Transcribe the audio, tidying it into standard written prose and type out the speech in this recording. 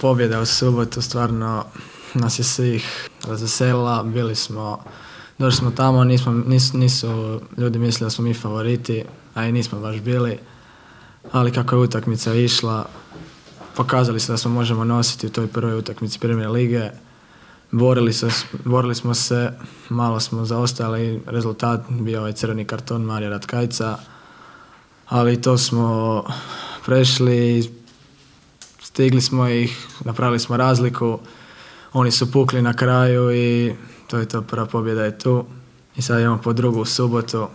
pobjeda u subotu stvarno nas je svih razveselila. Došli smo tamo, nisu ljudi mislili da smo mi favoriti, a i nismo baš bili. Ali kako je utakmica išla, pokazali smo da smo možemo nositi u toj prvoj utakmici Premier lige. Borili smo se, malo smo zaostali, rezultat bio ovaj crveni karton Marija Ratkajca, ali to smo prešli, stigli smo ih, napravili smo razliku, oni su pukli na kraju i to je to, prva pobjeda je tu. I sad imamo po drugu subotu,